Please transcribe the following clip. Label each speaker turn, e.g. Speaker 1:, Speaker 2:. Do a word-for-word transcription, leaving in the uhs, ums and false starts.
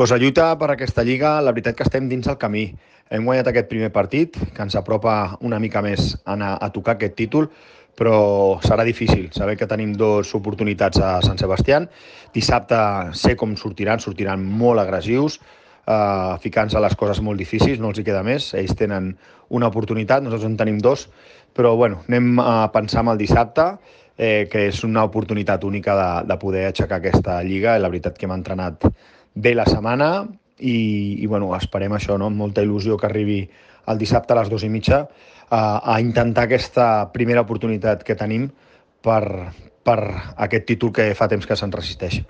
Speaker 1: Pues la lluita per aquesta lliga, la veritat que estem dins el camí. Hem guanyat aquest primer partit, que ens apropa una mica més a, anar a tocar aquest títol, però serà difícil. Saber que tenim dues oportunitats a Sant Sebastián. Dissabte sé com sortiran, sortiran molt agressius, eh, ficant-se les coses molt difícils, no els hi queda més. Ells tenen una oportunitat, nosaltres en tenim dos, però bueno, anem a pensar en el dissabte, eh, que és una oportunitat única de, de poder aixecar aquesta lliga. I la veritat que hem entrenat bé la setmana i, i bueno, esperem això, no? Amb molta il·lusió que arribi el dissabte a les dues i mitja a, a intentar aquesta primera oportunitat que tenim per, per aquest títol que fa temps que se'n resisteix.